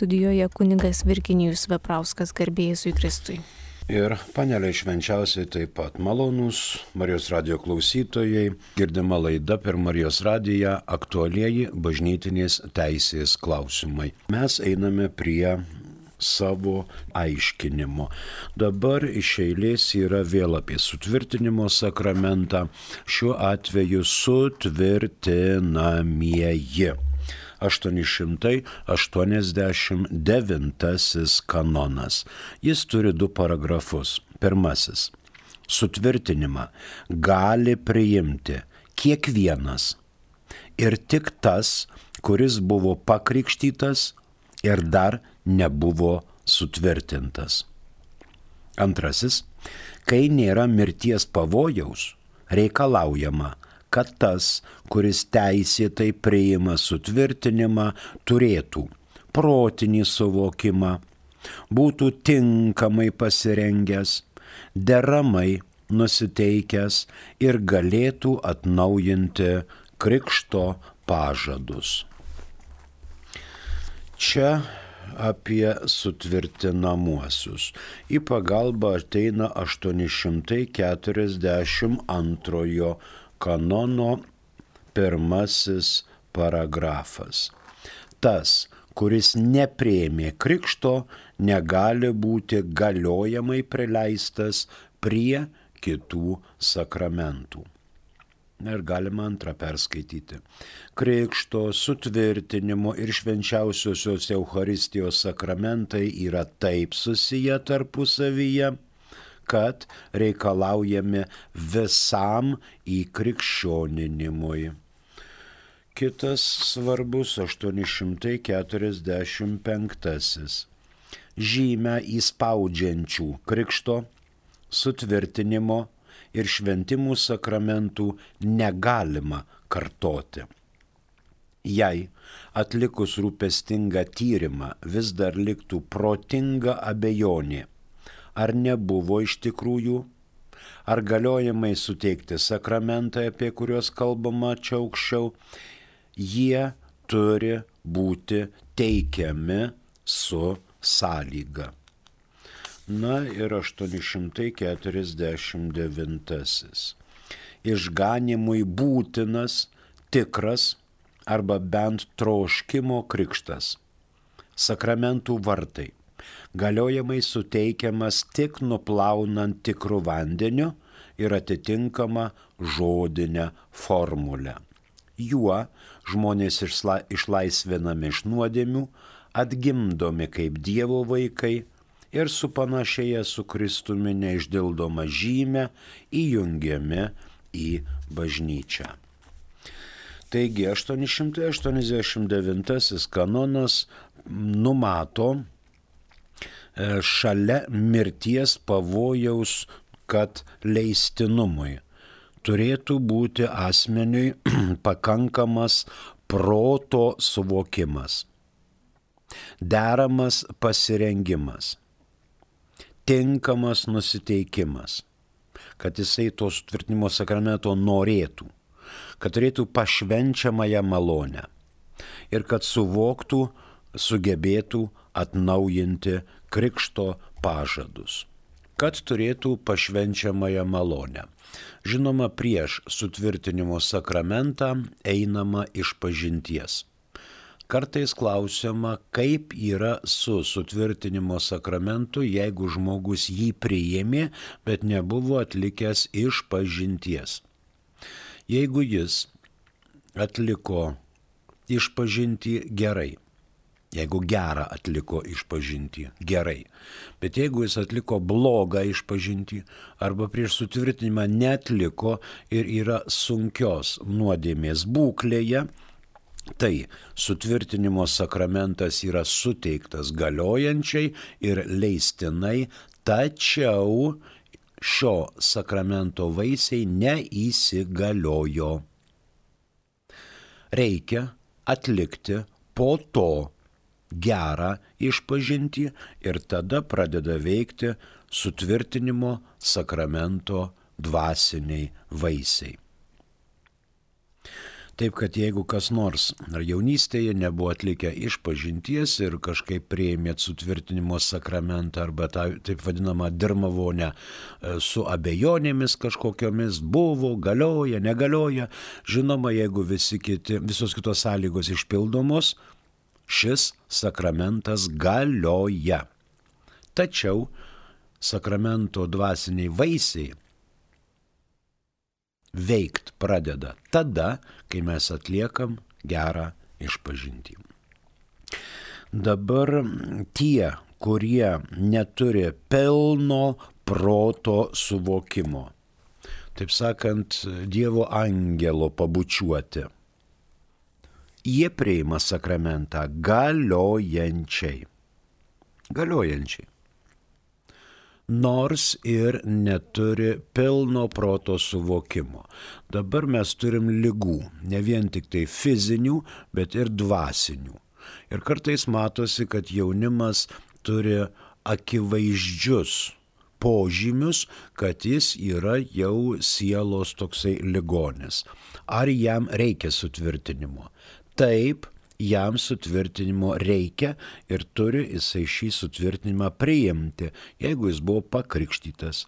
studijoje kunigas Virginijus Veprauskas, garbė Jėzui Kristui. Ir panelė švenčiausiai taip pat malonūs Marijos radijo klausytojai, girdima laida per Marijos radiją aktualieji bažnytinės teisės klausimai. Mes einame prie savo aiškinimo. Dabar iš eilės yra vėl apie sutvirtinimo sakramentą, šiuo atveju sutvirtinamieji. 889 kanonas. Jis turi 2 paragrafus. Pirmasis. Sutvirtinimą gali priimti kiekvienas ir tik tas, kuris buvo pakrikštytas ir dar nebuvo sutvirtintas. Antrasis. Kai nėra mirties pavojaus, reikalaujama, kad tas, kuris teisėtai priima sutvirtinimą, turėtų protinį suvokimą, būtų tinkamai pasirengęs, deramai nusiteikęs ir galėtų atnaujinti krikšto pažadus. Čia apie sutvirtinamuosius. Į pagalbą ateina 842 kanono 1 paragrafas. Tas, kuris nepriėmė krikšto, negali būti galiojamai prileistas prie kitų sakramentų. Ir galima antrą perskaityti. Krikšto, sutvirtinimo ir švenčiausiosios Eucharistijos sakramentai yra taip susiję tarpusavyje, kad reikalaujami visam įkrikščioninimui. Kitas svarbus 845. Žymę įspaudžiančių krikšto, sutvirtinimo ir šventimų sakramentų negalima kartoti. Jei atlikus rūpestingą tyrimą vis dar liktų protinga abejonė, ar nebuvo iš tikrųjų, ar galiojamai suteikti sakramentai, apie kuriuos kalbama čia aukščiau, jie turi būti teikiami su sąlyga. Na ir 849. Išganymui būtinas, tikras arba bent troškimo krikštas. Sakramentų vartai. Galiojamai suteikiamas tik nuplaunant tikrų vandeniu ir atitinkama žodinę formulę. Juo žmonės išlaisvinami iš nuodėmių, atgimdomi kaip Dievo vaikai ir supanašėję su Kristumi neišdildoma žymė įjungiami į bažnyčią. Taigi 889 kanonas numato šalia mirties pavojaus, kad leistinumui turėtų būti asmeniui pakankamas proto suvokimas, deramas pasirengimas, tinkamas nusiteikimas, kad jisai to sutvirtinimo sakramento norėtų, kad turėtų pašvenčiamąją malonę ir kad suvoktų, sugebėtų atnaujinti krikšto pažadus, kad turėtų pašvenčiamąją malonę. Žinoma, prieš sutvirtinimo sakramentą einama išpažinties. Kartais klausiama, kaip yra su sutvirtinimo sakramentu, jeigu žmogus jį priėmė, bet nebuvo atlikęs išpažinties. Jeigu jis atliko išpažintį gerai, jeigu gerą atliko išpažintį gerai, bet jeigu jis atliko blogą išpažintį arba prieš sutvirtinimą neatliko ir yra sunkios nuodėmės būklėje, tai sutvirtinimo sakramentas yra suteiktas galiojančiai ir leistinai, tačiau šio sakramento vaisiai neįsigaliojo. Reikia atlikti po to gerą išpažintį ir tada pradeda veikti sutvirtinimo sakramento dvasiniai vaisiai. Taip, kad jeigu kas nors ar jaunystėje nebuvo atlikę išpažinties ir kažkaip priėmėt sutvirtinimo sakramentą arba tą taip vadinamą dirmavonę su abejonėmis kažkokiomis, buvo, galioja, negalioja, žinoma, jeigu visos kitos sąlygos išpildomos, šis sakramentas galioja. Tačiau sakramento dvasiniai vaisiai veikt pradeda tada, kai mes atliekam gerą išpažintį. Dabar tie, kurie neturi pilno proto suvokimo, taip sakant, Dievo angelo pabučiuoti, jie priima sakramentą galiojančiai. Nors ir neturi pilno proto suvokimo. Dabar mes turim ligų, ne vien tik tai fizinių, bet ir dvasinių. Ir kartais matosi, kad jaunimas turi akivaizdžius požymius, kad jis yra jau sielos toksai ligonis. Ar jam reikia sutvirtinimo? Taip, jam sutvirtinimo reikia ir turi jisai šį sutvirtinimą priimti, jeigu jis buvo pakrikštytas,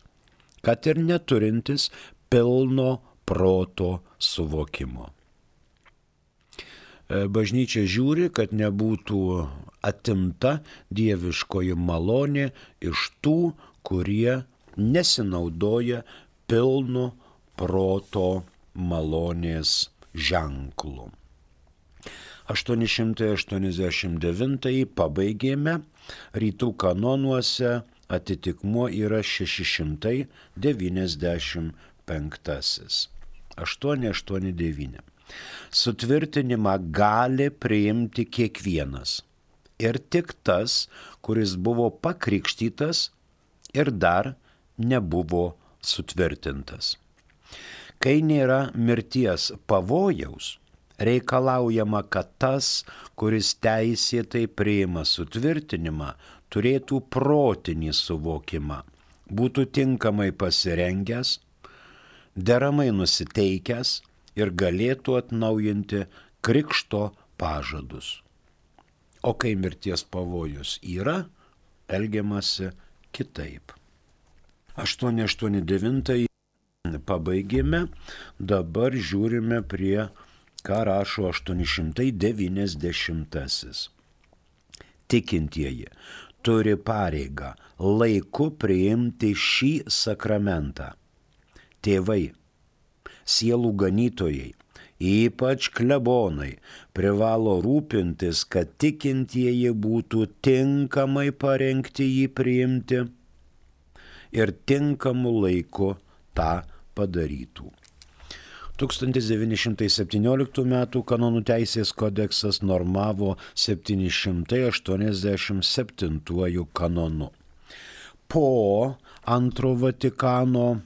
kad ir neturintis pilno proto suvokimo. Bažnyčia žiūri, kad nebūtų atimta dieviškoji malonė iš tų, kurie nesinaudoja pilno proto malonės ženklu. 889 pabaigėme, rytų kanonuose atitikmuo yra 695. 889. Sutvirtinimą gali priimti kiekvienas. Ir tik tas, kuris buvo pakrikštytas ir dar nebuvo sutvirtintas. Kai nėra mirties pavojaus, reikalaujama, kad tas, kuris teisėtai priima sutvirtinimą, turėtų protinį suvokimą, būtų tinkamai pasirengęs, deramai nusiteikęs ir galėtų atnaujinti krikšto pažadus. O kai mirties pavojus yra, elgiamasi kitaip. 889 pabaigėme, dabar žiūrime prie ką rašo 890. Tikintieji turi pareigą laiku priimti šį sakramentą. Tėvai, sielų ganytojai, ypač klebonai, privalo rūpintis, kad tikintieji būtų tinkamai parengti jį priimti ir tinkamu laiku tą padarytų. 1917 m. kanonų teisės kodeksas normavo 787 kanonu. Po antro Vatikano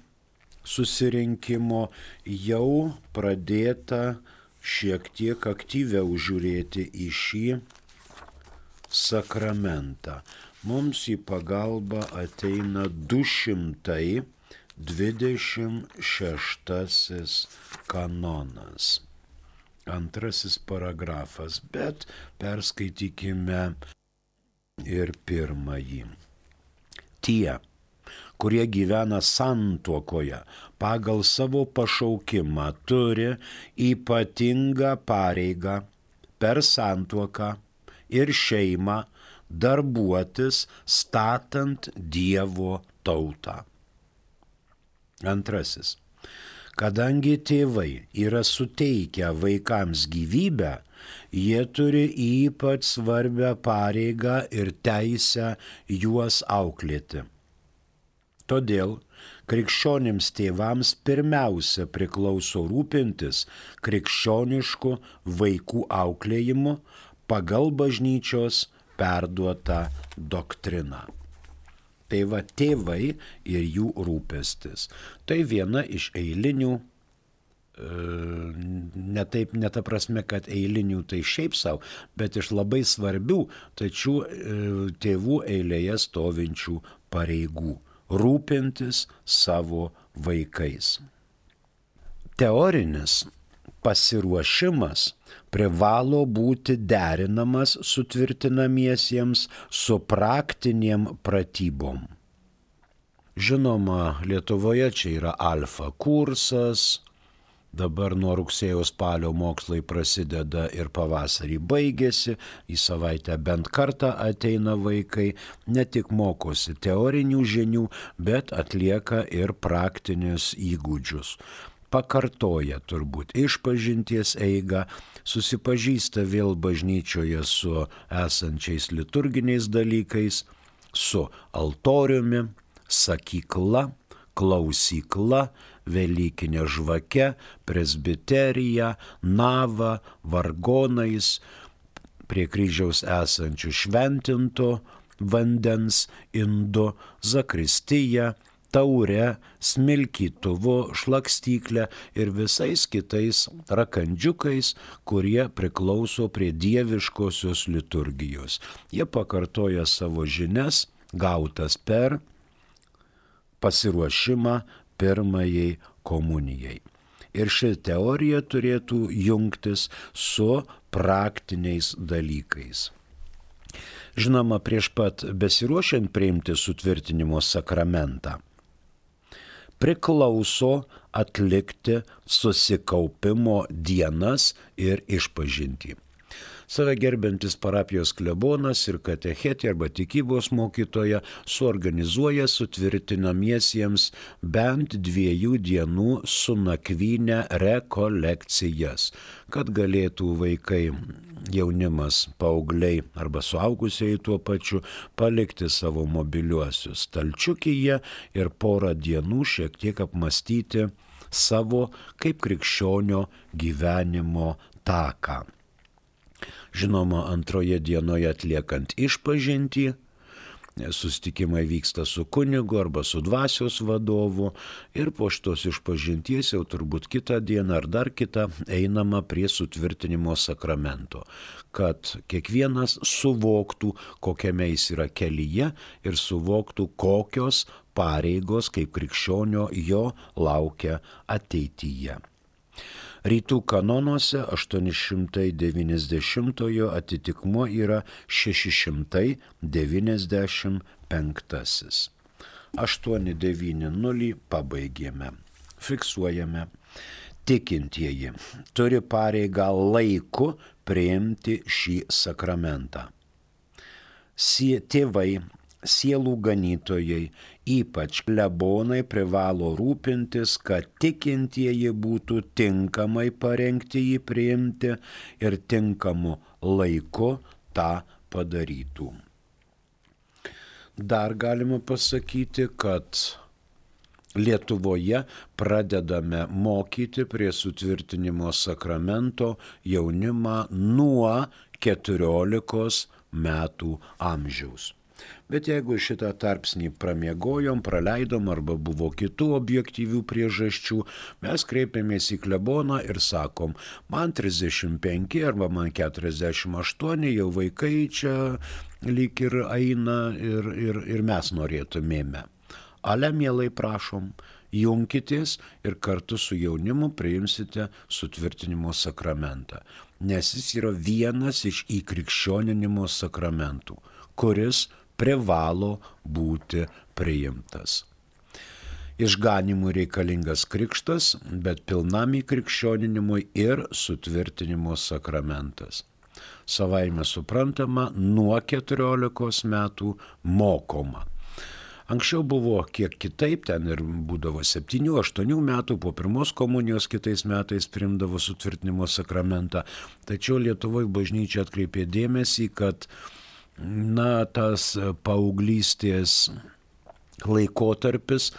susirinkimo jau pradėta šiek tiek aktyviau žiūrėti į šį sakramentą. Mums į pagalbą ateina 226 kanonas. Antrasis paragrafas, bet perskaitykime ir pirmąjį. Tie, kurie gyvena santuokoje, pagal savo pašaukimą turi ypatingą pareigą per santuoką ir šeimą darbuotis statant Dievo tautą. Antrasis. Kadangi tėvai yra suteikę vaikams gyvybę, jie turi ypač svarbią pareigą ir teisę juos auklėti. Todėl krikščionims tėvams pirmiausia priklauso rūpintis krikščionišku vaikų auklėjimu pagal bažnyčios perduotą doktriną. Tai va tėvai ir jų rūpestis. Tai viena iš eilinių, ne ta prasme, kad eilinių tai šiaip savo, bet iš labai svarbių, tačiau tėvų eilėje stovinčių pareigų - rūpintis savo vaikais. Teorinis pasiruošimas privalo būti derinamas sutvirtinamiesiems su praktinėm pratybom. Žinoma, Lietuvoje čia yra alfa kursas, dabar nuo rugsėjo spalio mokslai prasideda ir pavasarį baigėsi, į savaitę bent kartą ateina vaikai, ne tik mokosi teorinių žinių, bet atlieka ir praktinius įgūdžius. Pakartoja turbūt išpažinties eigą, susipažįsta vėl bažnyčioje su esančiais liturginiais dalykais, su altoriumi, sakykla, klausykla, velykinė žvake, presbiterija, nava, vargonais, prie kryžiaus esančių šventinto vandens indu, zakristija, taure, smilkytuvu, šlakstyklė ir visais kitais rakandžiukais, kurie priklauso prie dieviškosios liturgijos. Jie pakartoja savo žinias, gautas per pasiruošimą pirmajai komunijai. Ir ši teorija turėtų jungtis su praktiniais dalykais. Žinoma, prieš pat besiruošiant priimti sutvirtinimo sakramentą, priklauso atlikti susikaupimo dienas ir išpažintį. Save gerbiantis parapijos klebonas ir katechetė arba tikybos mokytoja suorganizuoja sutvirtinamiesiems bent 2 dienų su nakvyne rekolekcijas, kad galėtų vaikai, jaunimas, paaugliai arba suaugusieji tuo pačiu palikti savo mobiliuosius stalčiukyje ir porą dienų šiek tiek apmastyti savo kaip krikščionio gyvenimo taką. Žinoma, antroje dienoje atliekant išpažintį, susitikimai vyksta su kunigu arba su dvasios vadovu ir po šitos išpažinties jau turbūt kitą dieną ar dar kitą einama prie sutvirtinimo sakramento, kad kiekvienas suvoktų, kokiame jis yra kelyje ir suvoktų, kokios pareigos kaip krikščionio jo laukia ateityje. Rytų kanonuose 890 atitikmuo yra 695. 890 pabaigėme. Fiksuojame. Tikintieji turi pareigą laiku priimti šį sakramentą. Tėvai, sielų ganytojai, ypač klebonai privalo rūpintis, kad tikintieji būtų tinkamai parengti jį priimti ir tinkamu laiku tą padarytų. Dar galima pasakyti, kad Lietuvoje pradedame mokyti prie sutvirtinimo sakramento jaunimą nuo 14 metų amžiaus. Bet jeigu šitą tarpsnį pramiegojom, praleidom arba buvo kitų objektyvių priežasčių, mes kreipiamės į kleboną ir sakom, man 35 arba man 48, jau vaikai čia lyg ir eina ir mes norėtumėme. Ale mielai prašom, junkitės ir kartu su jaunimu priimsite sutvirtinimo sakramentą, nes jis yra vienas iš įkrikščioninimo sakramentų, kuris privalo būti priimtas. Išganimui reikalingas krikštas, bet pilnam įkrikščioninimui ir sutvirtinimo sakramentas. Savaime suprantama, nuo 14 metų mokoma. Anksčiau buvo kiek kitaip, ten ir būdavo 7-8 metų, po pirmos komunijos kitais metais priimdavo sutvirtinimo sakramentą, tačiau Lietuvoje bažnyčia atkreipė dėmesį, kad tas paauglystės laikotarpis,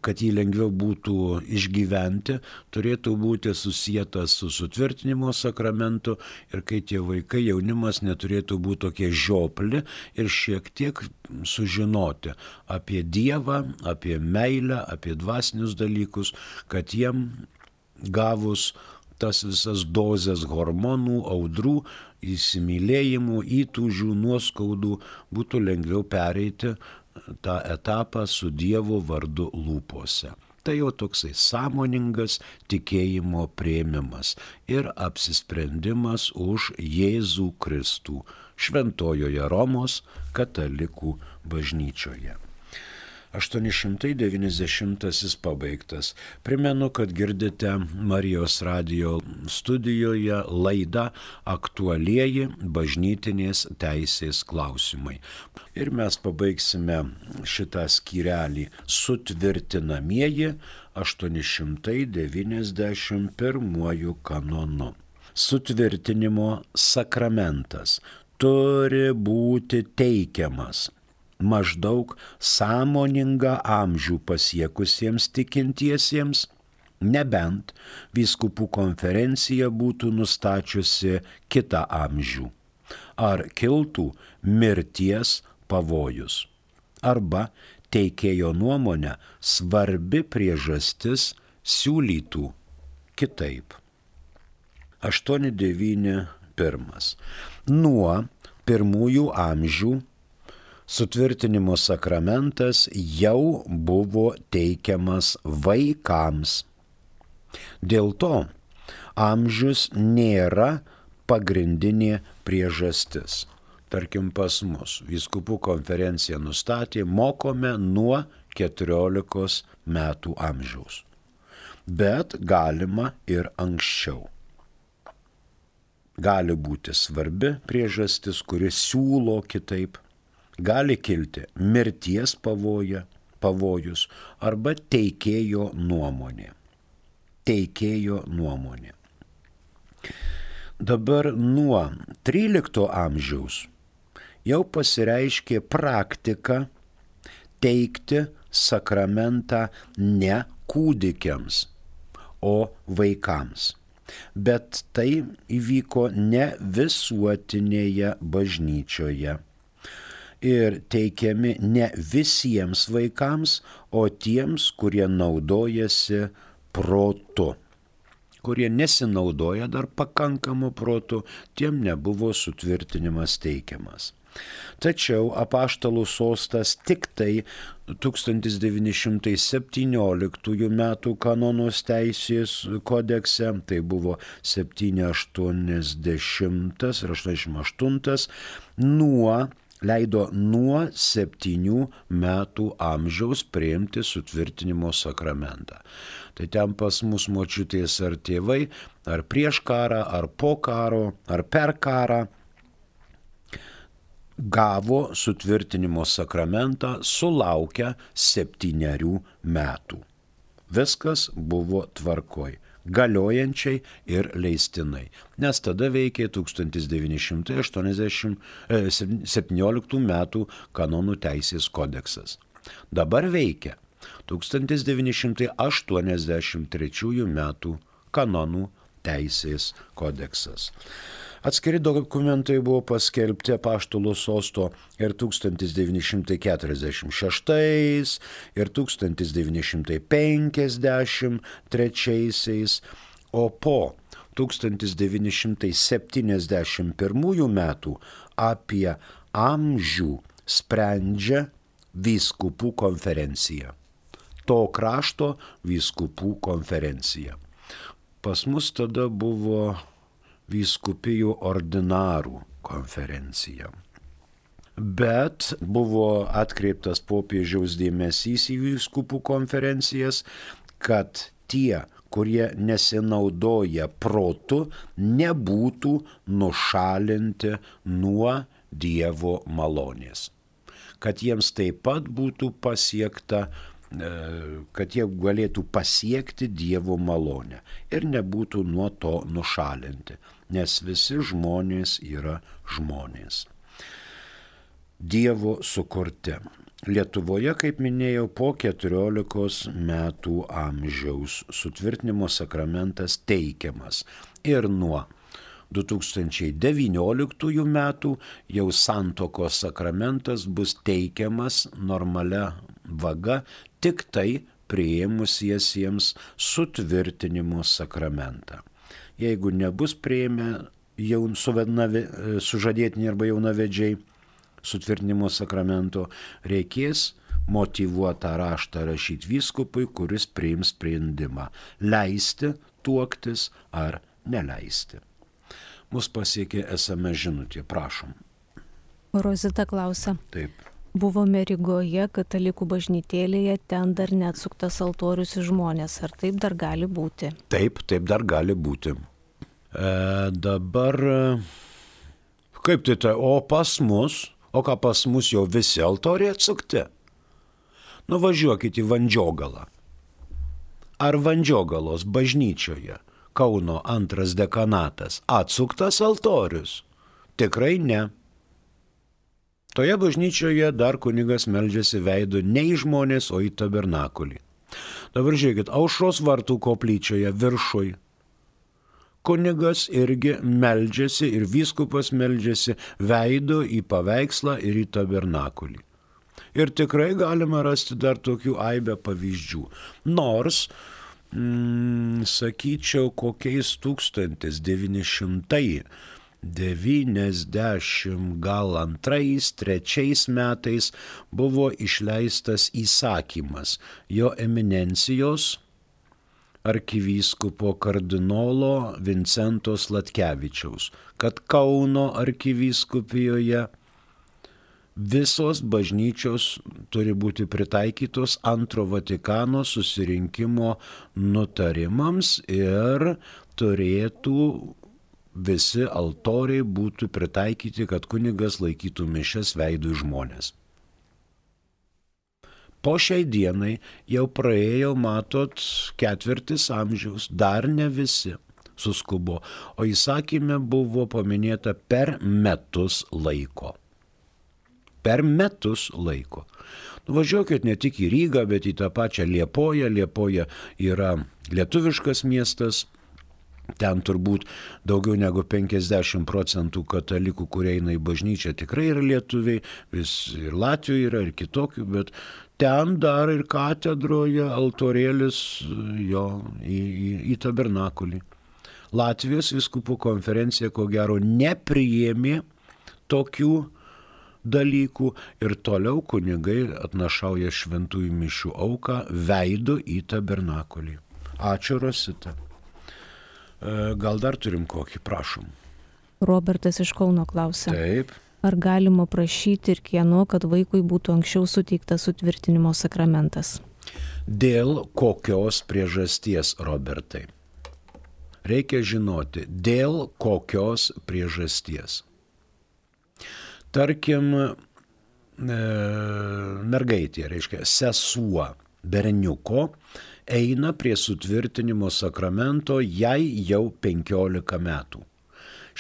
kad jį lengviau būtų išgyventi, turėtų būti susietas su sutvirtinimo sakramentu ir kai tie vaikai, jaunimas neturėtų būti tokie žiopli ir šiek tiek sužinoti apie Dievą, apie meilę, apie dvasinius dalykus, kad jiem gavus tas visas dozes hormonų, audrų, įsimylėjimų, įtūžių, nuoskaudų, būtų lengviau pereiti tą etapą su Dievo vardu lūpose. Tai jau toksai sąmoningas tikėjimo priėmimas ir apsisprendimas už Jėzų Kristų Šventojoje Romos katalikų bažnyčioje. 890 pabaigtas. Primenu, kad girdite Marijos radijo studijoje laidą Aktualieji bažnytinės teisės klausimai. Ir mes pabaigsime šitą skyrelį sutvirtinamieji 891 kanonu. Sutvirtinimo sakramentas turi būti teikiamas maždaug sąmoningą amžių pasiekusiems tikintiesiems, nebent vyskupų konferencija būtų nustačiusi kitą amžių, ar kiltų mirties pavojus, arba teikėjo nuomonę svarbi priežastis siūlytų kitaip. 891. Nuo pirmųjų amžių sutvirtinimo sakramentas jau buvo teikiamas vaikams. Dėl to amžius nėra pagrindinė priežastis. Tarkim, pas mus vyskupų konferencija nustatė, mokome nuo 14 metų amžiaus. Bet galima ir anksčiau. Gali būti svarbi priežastis, kuri siūlo kitaip. Gali kilti mirties pavojus arba teikėjo nuomonė. Dabar nuo 13 amžiaus jau pasireiškė praktika teikti sakramentą ne kūdikiams, o vaikams. Bet tai įvyko ne visuotinėje bažnyčioje. Ir teikiami ne visiems vaikams, o tiems, kurie naudojasi protu. Kurie nesinaudoja dar pakankamu protu, tiem nebuvo sutvirtinimas teikiamas. Tačiau apaštalų sostas tik tai 1917 metų kanonos teisės kodekse, tai buvo 780 ir 88, leido nuo 7 metų amžiaus priimti sutvirtinimo sakramentą. Tai ten pas mus močiutės ar tėvai, ar prieš karą, ar po karo, ar per karą gavo sutvirtinimo sakramentą sulaukę 7 metų. Viskas buvo tvarkoj, galiojančiai ir leistinai, nes tada veikė 1917 metų kanonų teisės kodeksas. Dabar veikia 1983 metų kanonų teisės kodeksas. Atskiri dokumentai buvo paskelbti apaštalų sosto ir 1946 ir 1953, o po 1971 metų apie amžių sprendžia vyskupų konferencija. To krašto vyskupų konferencija. Pas mus tada buvo vyskupijų ordinarų konferencija. Bet buvo atkreiptas popiežiaus dėmesys į vyskupų konferencijas, kad tie, kurie nesinaudoja protu, nebūtų nušalinti nuo Dievo malonės. Kad jiems taip pat būtų pasiekta, kad jie galėtų pasiekti Dievo malonę ir nebūtų nuo to nušalinti, nes visi žmonės yra žmonės. Dievo sukurti. Lietuvoje, kaip minėjau, po 14 metų amžiaus sutvirtinimo sakramentas teikiamas ir nuo 2019 metų jau santuokos sakramentas bus teikiamas normalia vaga tik tai priėmusiesiems sutvirtinimo sakramentą. Jeigu nebus priėmę sužadėtiniai arba jaunavedžiai sutvirtinimo sakramento, reikės motyvuotą raštą rašyti vyskupui, kuris priims sprendimą leisti tuoktis ar neleisti. Mus pasiekė SMS žinutė, prašom. Rozita klausia. Taip. Buvome Rygoje, katalikų bažnytėlėje, ten dar neatsuktas altorius į žmonės. Ar taip dar gali būti? Taip dar gali būti. Dabar, kaip tai, o ką pas mus jau visi altoriai atsukti? Nuvažiuokite į Vandžiogalą. Ar Vandžiogalos bažnyčioje Kauno 2 dekanatas atsuktas altorius? Tikrai ne. Toje bažnyčioje dar kunigas meldžiasi veidu ne į žmonės, o į tabernakulį. Dabar žiūrėkit, Aušros vartų koplyčioje viršui kunigas irgi meldžiasi ir vyskupas meldžiasi veidu į paveikslą ir į tabernakulį. Ir tikrai galima rasti dar tokių aibę pavyzdžių. Nors, sakyčiau, kokiais 1990 gal 2-3 metais buvo išleistas įsakymas jo eminencijos arkivyskupo kardinolo Vincento Sladkevičiaus, kad Kauno arkivyskupijoje visos bažnyčios turi būti pritaikytos Antro Vatikano susirinkimo nutarimams ir turėtų visi altoriai būtų pritaikyti, kad kunigas laikytų mišias veidų į žmonės. Po šiai dienai jau praėjo, matot, 4 amžiaus, dar ne visi suskubo, o įsakyme buvo paminėta per metus laiko. Per metus laiko. Nuvažiuokit ne tik į Rygą, bet į tą pačią Liepoją. Liepoja yra lietuviškas miestas. Ten turbūt daugiau negu 50% katalikų, kurie eina į bažnyčią, tikrai yra lietuviai, vis ir Latvijoje yra, ir kitokių, bet ten dar ir katedroje altorėlis jo į tabernakulį. Latvijos vyskupų konferencija, ko gero, nepriėmė tokių dalykų ir toliau kunigai atnašauja šventųjų mišių auką veidu į tabernakulį. Ačiū, Rosita. Gal dar turim kokį, prašom. Robertas iš Kauno klausia. Taip. Ar galima prašyti ir kieno, kad vaikui būtų anksčiau suteiktas sutvirtinimo sakramentas? Dėl kokios priežasties, Robertai? Reikia žinoti, dėl kokios priežasties. Tarkim, mergaitė, reiškia, sesuo berniuko, eina prie sutvirtinimo sakramento jai jau 15 metų.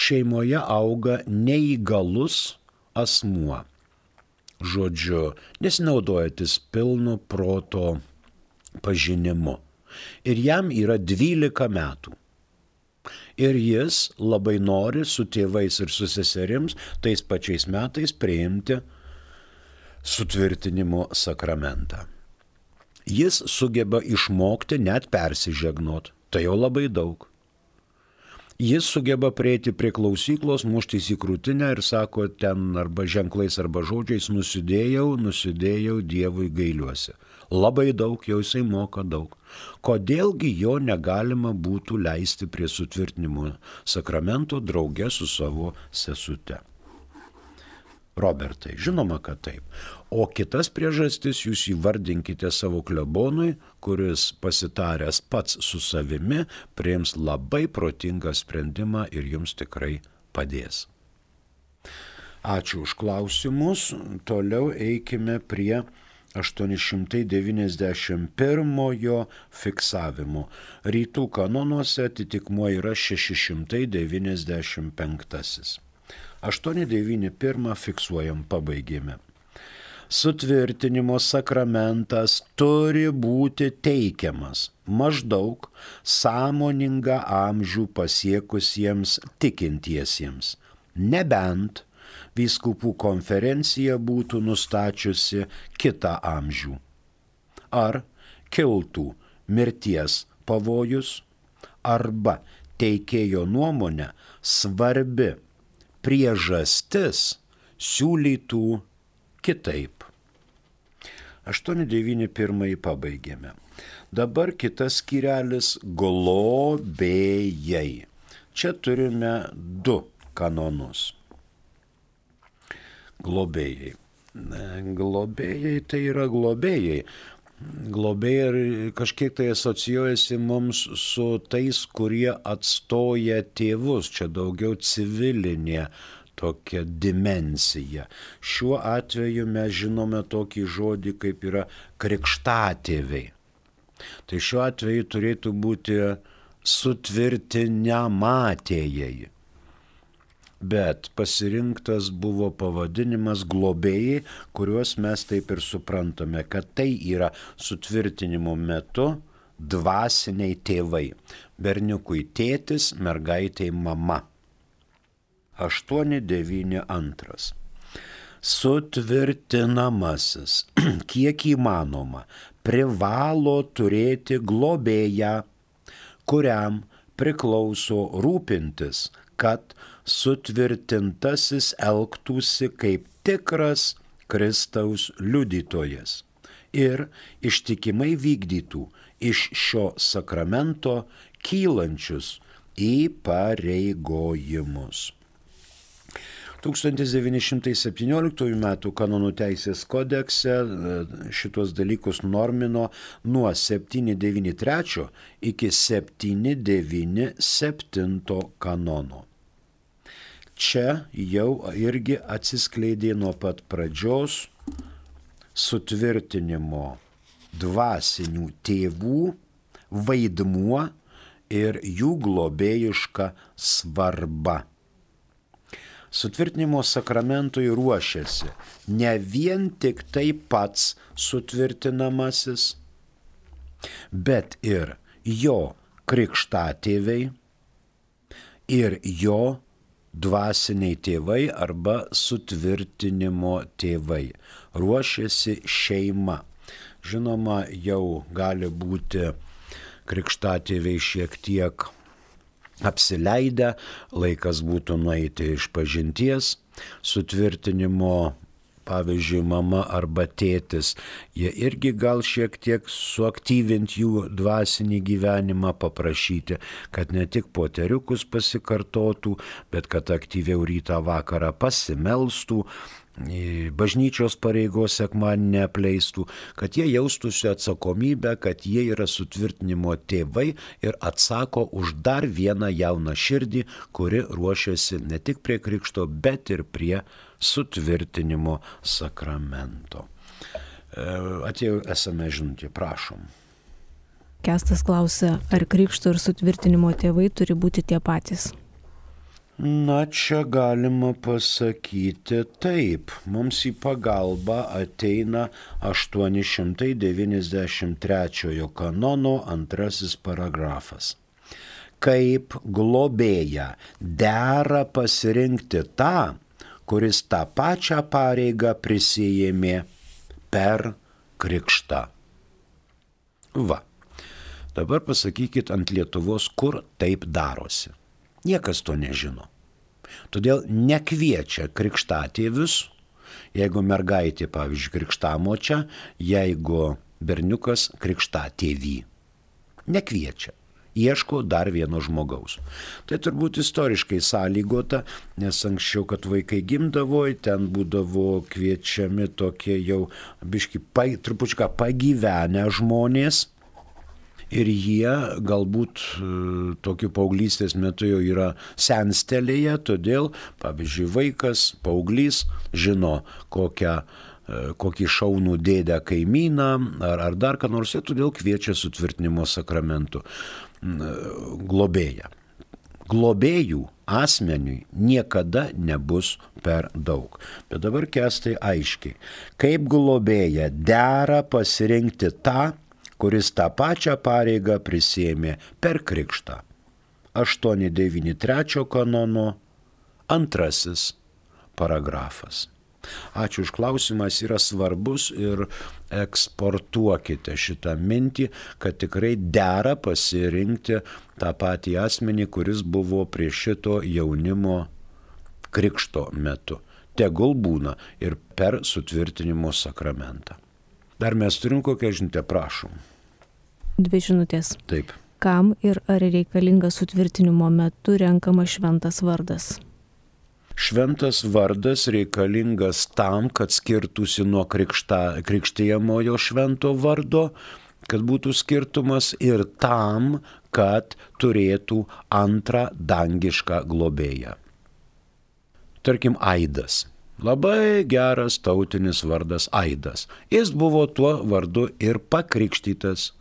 Šeimoje auga neįgalus asmuo. Žodžiu, nesinaudojantis pilnu proto pažinimu. Ir jam yra 12 metų. Ir jis labai nori su tėvais ir su seserims tais pačiais metais priimti sutvirtinimo sakramentą. Jis sugeba išmokti net persižegnot, tai jau labai daug. Jis sugeba prieiti prie klausyklos, muštis į krūtinę ir sako ten arba ženklais arba žodžiais nusidėjau, Dievui gailiuosi. Labai daug, jau jisai moka daug. Kodėlgi jo negalima būtų leisti prie sutvirtinimo sakramento drauge su savo sesute? Robertai, žinoma, kad taip. O kitas priežastis jūs įvardinkite savo klebonui, kuris pasitaręs pats su savimi priims labai protingą sprendimą ir jums tikrai padės. Ačiū už klausimus. Toliau eikime prie 891 fiksavimo. Rytų kanonuose atitikmuo yra 695. 891 fiksuojam, pabaigėme. Sutvirtinimo sakramentas turi būti teikiamas maždaug sąmoningą amžių pasiekusiems tikintiesiems, nebent vyskupų konferencija būtų nustačiusi kitą amžių. Ar kiltų mirties pavojus, arba teikėjo nuomonę svarbi priežastis siūlytų kitaip. 891 pabaigėme. Dabar kitas skyrelis – globėjai. Čia turime 2 kanonus. Globėjai. Globėjai tai yra globėjai. Globėjai kažkiek tai asocijuojasi mums su tais, kurie atstoja tėvus. Čia daugiau civilinė tokia dimensija. Šiuo atveju mes žinome tokį žodį, kaip yra krikštatėviai. Tai šiuo atveju turėtų būti sutvirtinamatėjai. Bet pasirinktas buvo pavadinimas globėjai, kuriuos mes taip ir suprantame, kad tai yra sutvirtinimo metu dvasiniai tėvai. Berniukui tėtis, mergaitei mama. 892. Sutvirtinamasis, kiek įmanoma, privalo turėti globėją, kuriam priklauso rūpintis, kad sutvirtintasis elgtųsi kaip tikras Kristaus liudytojas ir ištikimai vykdytų iš šio sakramento kylančius įpareigojimus. 1917 m. kanonų teisės kodekse šitos dalykus normino nuo 793 iki 797 kanono. Čia jau irgi atsiskleidė nuo pat pradžios sutvirtinimo dvasinių tėvų vaidmuo ir jų globėjiška svarba. Sutvirtinimo sakramentui ruošiasi ne vien tik tai pats sutvirtinamasis, bet ir jo krikštatėviai ir jo dvasiniai tėvai arba sutvirtinimo tėvai. Ruošiasi šeima. Žinoma, jau gali būti krikštatėviai šiek tiek apsileidę, laikas būtų nueiti iš pažinties, sutvirtinimo, pavyzdžiui, mama arba tėtis, jie irgi gal šiek tiek suaktyvinti jų dvasinį gyvenimą, paprašyti, kad ne tik poteriukus pasikartotų, bet kad aktyviau rytą vakarą pasimelstų, bažnyčios pareigos sekmadienį neapleistų, kad jie jaustųsi atsakomybę, kad jie yra sutvirtinimo tėvai ir atsako už dar vieną jauną širdį, kuri ruošiasi ne tik prie krikšto, bet ir prie sutvirtinimo sakramento. Atėjo esame žinutė, prašom. Kestas klausia, ar krikšto ir sutvirtinimo tėvai turi būti tie patys? Na, čia galima pasakyti taip. Mums į pagalbą ateina 893 kanono 2 paragrafas. Kaip globėją dera pasirinkti tą, kuris tą pačią pareigą prisijėmė per krikštą. Va, dabar pasakykit ant Lietuvos, kur taip darosi. Niekas to nežino. Todėl nekviečia krikštatėvius, jeigu mergaitė, pavyzdžiui, krikštamočia, jeigu berniukas krikštatėvį. Nekviečia. Ieško dar vieno žmogaus. Tai turbūt istoriškai sąlygota, nes anksčiau, kad vaikai gimdavo, ten būdavo kviečiami tokie jau biški trupučiuką pagyvenę žmonės. Ir jie galbūt tokiu paauglystės metu jau yra senstelėje, todėl, pavyzdžiui, vaikas, paauglys žino kokį šaunų dėdę kaimyną ar dar ką nors, ir todėl kviečia sutvirtinimo sakramentų globėją. Globėjų asmeniui niekada nebus per daug. Bet dabar Kestai aiškiai, kaip globėją dera pasirinkti tą, kuris tą pačią pareigą prisėmė per krikštą. 893 kanono 2 paragrafas. Ačiū už klausimas, yra svarbus ir eksportuokite šitą mintį, kad tikrai dera pasirinkti tą patį asmenį, kuris buvo prie šito jaunimo krikšto metu. Tegul būna ir per sutvirtinimo sakramentą. Dar mes turim kokią žinutę, prašom. 2 žinutės. Taip. Kam ir ar reikalingas sutvirtinimo metu renkamas šventas vardas? Šventas vardas reikalingas tam, kad skirtųsi nuo krikštijamojo švento vardo, kad būtų skirtumas, ir tam, kad turėtų antrą dangišką globėją. Tarkim, Aidas. Labai geras tautinis vardas Aidas. Jis buvo tuo vardu ir pakrikštytas.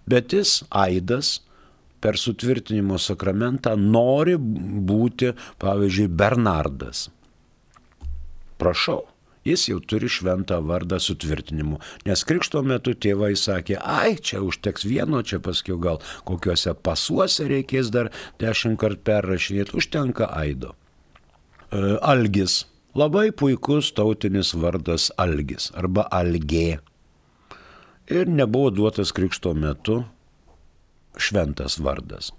Bet jis, Aidas, per sutvirtinimo sakramentą nori būti, pavyzdžiui, Bernardas. Prašau, jis jau turi šventą vardą sutvirtinimu, nes krikšto metu tėvai sakė, ai, čia užteks vieno, čia paskiau gal kokiuose pasuose reikės dar 10 kartų perrašinėti, užtenka Aido. Algis. Labai puikus tautinis vardas Algis arba Algė. Ir nebuvo duotas krikšto metu šventas vardas.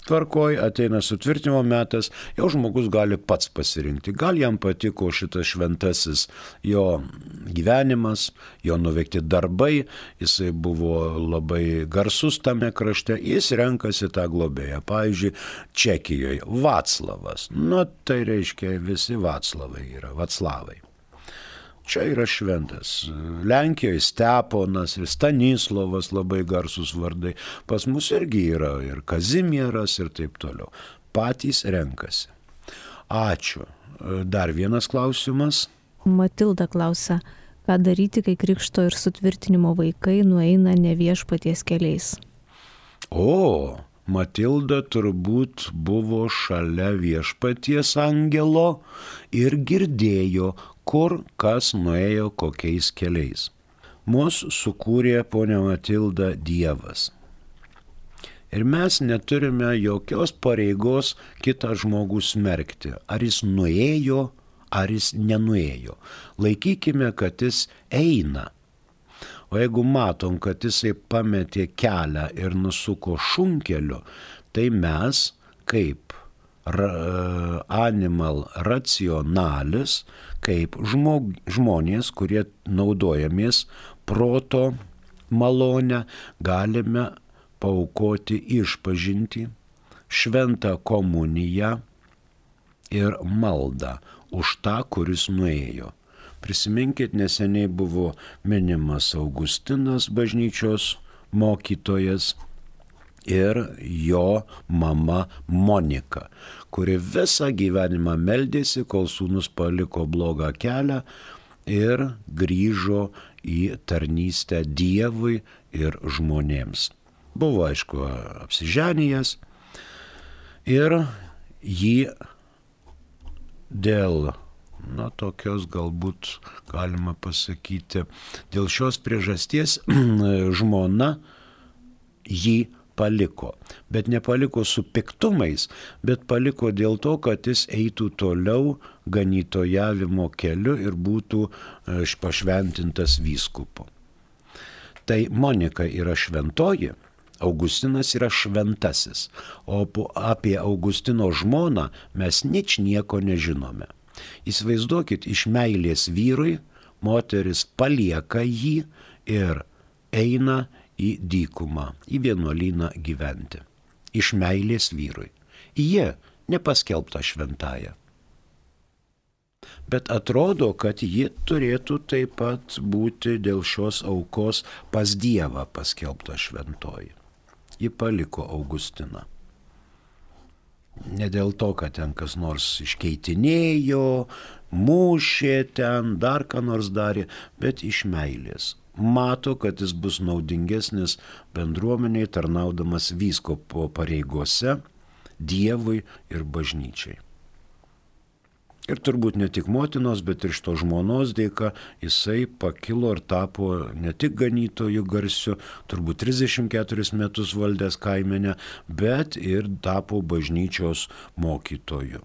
Tvarkoj, ateina sutvirtinimo metas, jau žmogus gali pats pasirinkti. Gal jam patiko šitas šventasis jo gyvenimas, jo nuveikti darbai, jisai buvo labai garsus tame krašte, jis renkasi tą globėją. Pavyzdžiui, Čekijoje Vaclavas, tai reiškia visi Vaclavai yra, Vaclavai. Čia yra šventas. Lenkijoje Steponas ir Stanislovas labai garsus vardai. Pas mus irgi yra ir Kazimieras ir taip toliau. Patys renkasi. Ačiū. Dar vienas klausimas. Matilda klausia, ką daryti, kai krikšto ir sutvirtinimo vaikai nueina ne viešpaties keliais? Matilda turbūt buvo šalia viešpaties angelo ir girdėjo, kur kas nuėjo kokiais keliais. Mūsų sukūrė, ponia Matilda, Dievas. Ir mes neturime jokios pareigos kitą žmogų smerkti. Ar jis nuėjo, ar jis nenuėjo. Laikykime, kad jis eina. O jeigu matom, kad jisai pametė kelią ir nusuko šunkeliu, tai mes kaip animal racionalis, kaip žmonės, kurie naudojamės proto malonę, galime paaukoti išpažintį, šventą komuniją ir maldą už tą, kuris nuėjo. Prisiminkit, neseniai buvo minimas Augustinas, bažnyčios mokytojas, ir jo mama Monika, kuri visą gyvenimą meldėsi, kol sūnus paliko blogą kelią ir grįžo į tarnystę Dievui ir žmonėms. Buvo, aišku, apsiženijęs ir jį dėl tokios galbūt galima pasakyti, dėl šios priežasties žmona jį paliko. Bet nepaliko su piktumais, bet paliko dėl to, kad jis eitų toliau ganytojavimo keliu ir būtų pašventintas vyskupu. Tai Monika yra šventoji, Augustinas yra šventasis, o apie Augustino žmoną mes nieko nežinome. Įsivaizduokit, iš meilės vyrui moteris palieka jį ir eina į dykumą, į vienuolyną gyventi. Iš meilės vyrui. Jie nepaskelbta šventąja. Bet atrodo, kad ji turėtų taip pat būti dėl šios aukos pas Dievą paskelbta šventoji. Ji paliko Augustiną. Ne dėl to, kad ten kas nors iškeitinėjo, mušė ten, dar ką nors darė, bet iš meilės. Mato, kad jis bus naudingesnis bendruomeniai, tarnaudamas vyskupo pareigose, Dievui ir bažnyčiai. Ir turbūt ne tik motinos, bet ir šito žmonos dėka jisai pakilo ir tapo ne tik ganytojų garsiu, turbūt 34 metus valdęs kaimenę, bet ir tapo bažnyčios mokytoju.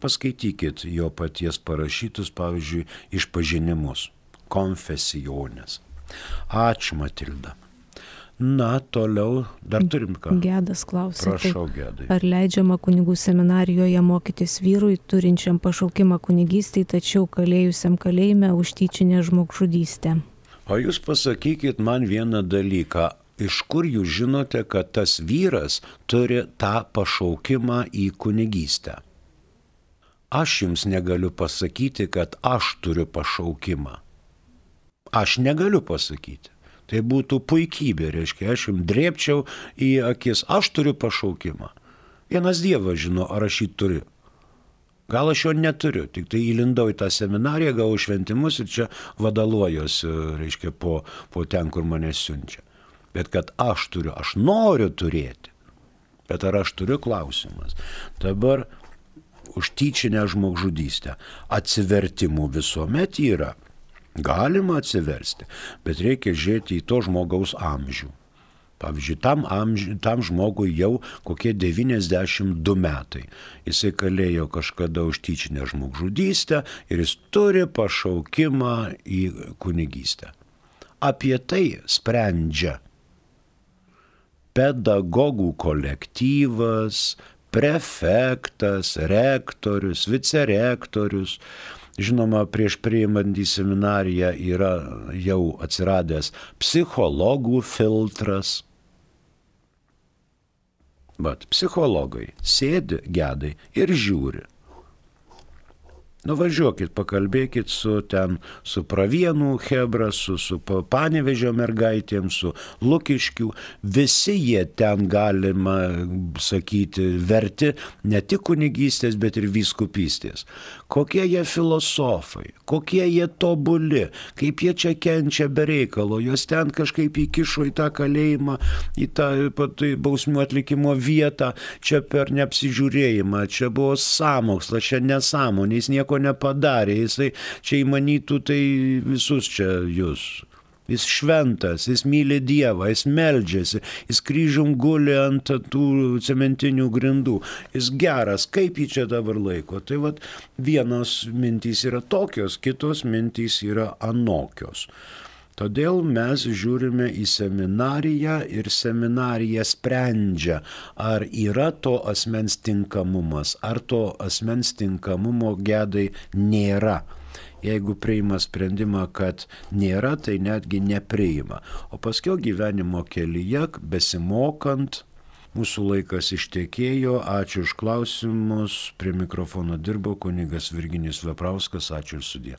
Paskaitykit jo paties parašytus, pavyzdžiui, išpažinimus, konfesijonės. Ačiū, Matilda. Toliau dar turim ką. Gedas klausė. Prašau, Gedai. Ar leidžiama kunigų seminarijoje mokytis vyrui, turinčiam pašaukimą kunigystei, tačiau kalėjusiam kalėjime už tyčinę žmogžudystę? O jūs pasakykit man vieną dalyką. Iš kur jūs žinote, kad tas vyras turi tą pašaukimą į kunigystę? Aš jums negaliu pasakyti, kad aš turiu pašaukimą. Aš negaliu pasakyti. Tai būtų puikybė, reiškia, aš jums drėbčiau į akis, aš turiu pašaukimą. Vienas Dievas žino, ar aš jį turiu. Gal aš jo neturiu, tik tai įlindau į tą seminariją, gavau šventimus ir čia vadaluojuosi, reiškia, po ten, kur mane siunčia. Bet kad aš turiu, aš noriu turėti. Bet ar aš turiu, klausimas. Dabar už tyčinę žmogžudystę atsivertimų visuomet yra. Galima atsiversti, bet reikia žiūrėti į to žmogaus amžių. Pavyzdžiui, tam žmogui jau kokie 92 metai. Jisai kalėjo kažkada už tyčinę žmogžudystę ir jis turi pašaukimą į kunigystę. Apie tai sprendžia pedagogų kolektyvas, prefektas, rektorius, vicerektorius. Žinoma, prieš priimant į seminariją yra jau atsiradęs psichologų filtras. Bet psichologai sėdi, gedai ir žiūri. Nuvažiuokit, pakalbėkit su Pravienų chebra, su Panevėžio mergaitėm, su Lukiškių. Visi jie ten, galima sakyti, verti ne tik kunigystės, bet ir vyskupystės. Kokie jie filosofai, kokie jie tobuli, kaip jie čia kenčia be reikalo, juos ten kažkaip įkišo į tą kalėjimą, į tą bausmių atlikimo vietą, čia per neapsižiūrėjimą, čia buvo sąmokslas, čia nesąmonė, jis nieko nepadarė, jisai čia įmanytų tai visus čia jūs. Jis šventas, jis myli Dievą, jis meldžiasi, jis kryžium guli ant tų cementinių grindų, jis geras, kaip jį čia dabar laiko. Tai vat vienos mintys yra tokios, kitos mintys yra anokios. Todėl mes žiūrime į seminariją ir seminarija sprendžia, ar yra to asmens tinkamumas, ar to asmens tinkamumo gedai nėra. Jeigu priima sprendimą, kad nėra, tai netgi nepriima. O paskui gyvenimo kelyje, besimokant, mūsų laikas ištekėjo. Ačiū už klausimus. Prie mikrofono dirbo kunigas Virginijus Veprauskas. Ačiū ir sudie.